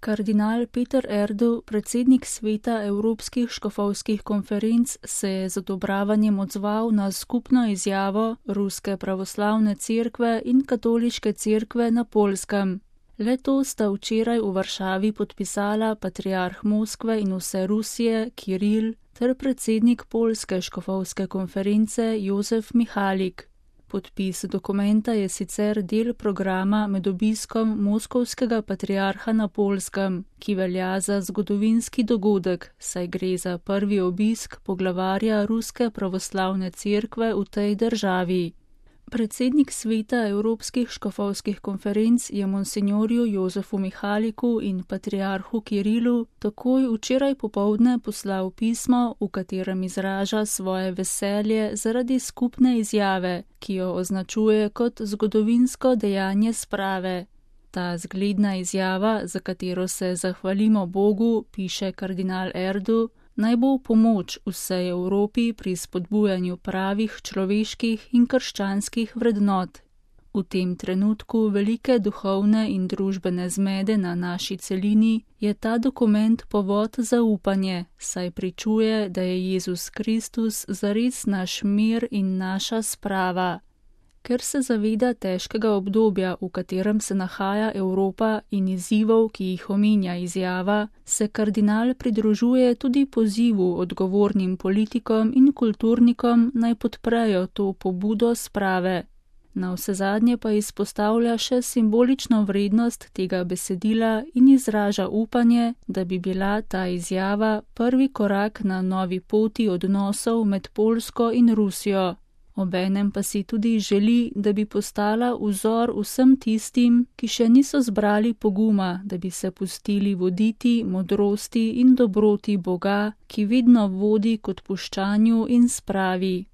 Kardinal Peter Erdo, predsednik sveta Evropskih škofovskih konferenc, se je z odobravanjem odzval na skupno izjavo Ruske pravoslavne cerkve in Katoliške cerkve na Poljskem. Le-to sta včeraj v Varšavi podpisala patriarh Moskve in vse Rusije Kiril ter predsednik Poljske škofovske konference Jozef Mihalik. Podpis dokumenta je sicer del programa med obiskom moskovskega patriarha na Poljskem, ki velja za zgodovinski dogodek, saj gre za prvi obisk poglavarja Ruske pravoslavne cerkve v tej državi. Predsednik sveta Evropskih škofovskih konferenc je monsinjorju Jozefu Mihaliku in patriarhu Kirilu takoj včeraj popoldne poslal pismo, v katerem izraža svoje veselje zaradi skupne izjave, ki jo označuje kot zgodovinsko dejanje sprave. Ta zgledna izjava, za katero se zahvalimo Bogu, piše kardinal Erdo, naj bo v pomoč vsej Evropi pri spodbujanju pravih človeških in krščanskih vrednot. V tem trenutku velike duhovne in družbene zmede na naši celini je ta dokument povod za upanje, saj pričuje, da je Jezus Kristus zares naš mir in naša sprava. Ker se zaveda težkega obdobja, v katerem se nahaja Evropa in izzivov, ki jih omenja izjava, se kardinal pridružuje tudi pozivu odgovornim politikom in kulturnikom naj podprejo to pobudo sprave. Navsezadnje pa izpostavlja še simbolično vrednost tega besedila in izraža upanje, da bi bila ta izjava prvi korak na novi poti odnosov med Poljsko in Rusijo. Obenem pa si tudi želi, da bi postala vzor vsem tistim, ki še niso zbrali poguma, da bi se pustili voditi modrosti in dobroti Boga, ki vedno vodi k odpuščanju in spravi.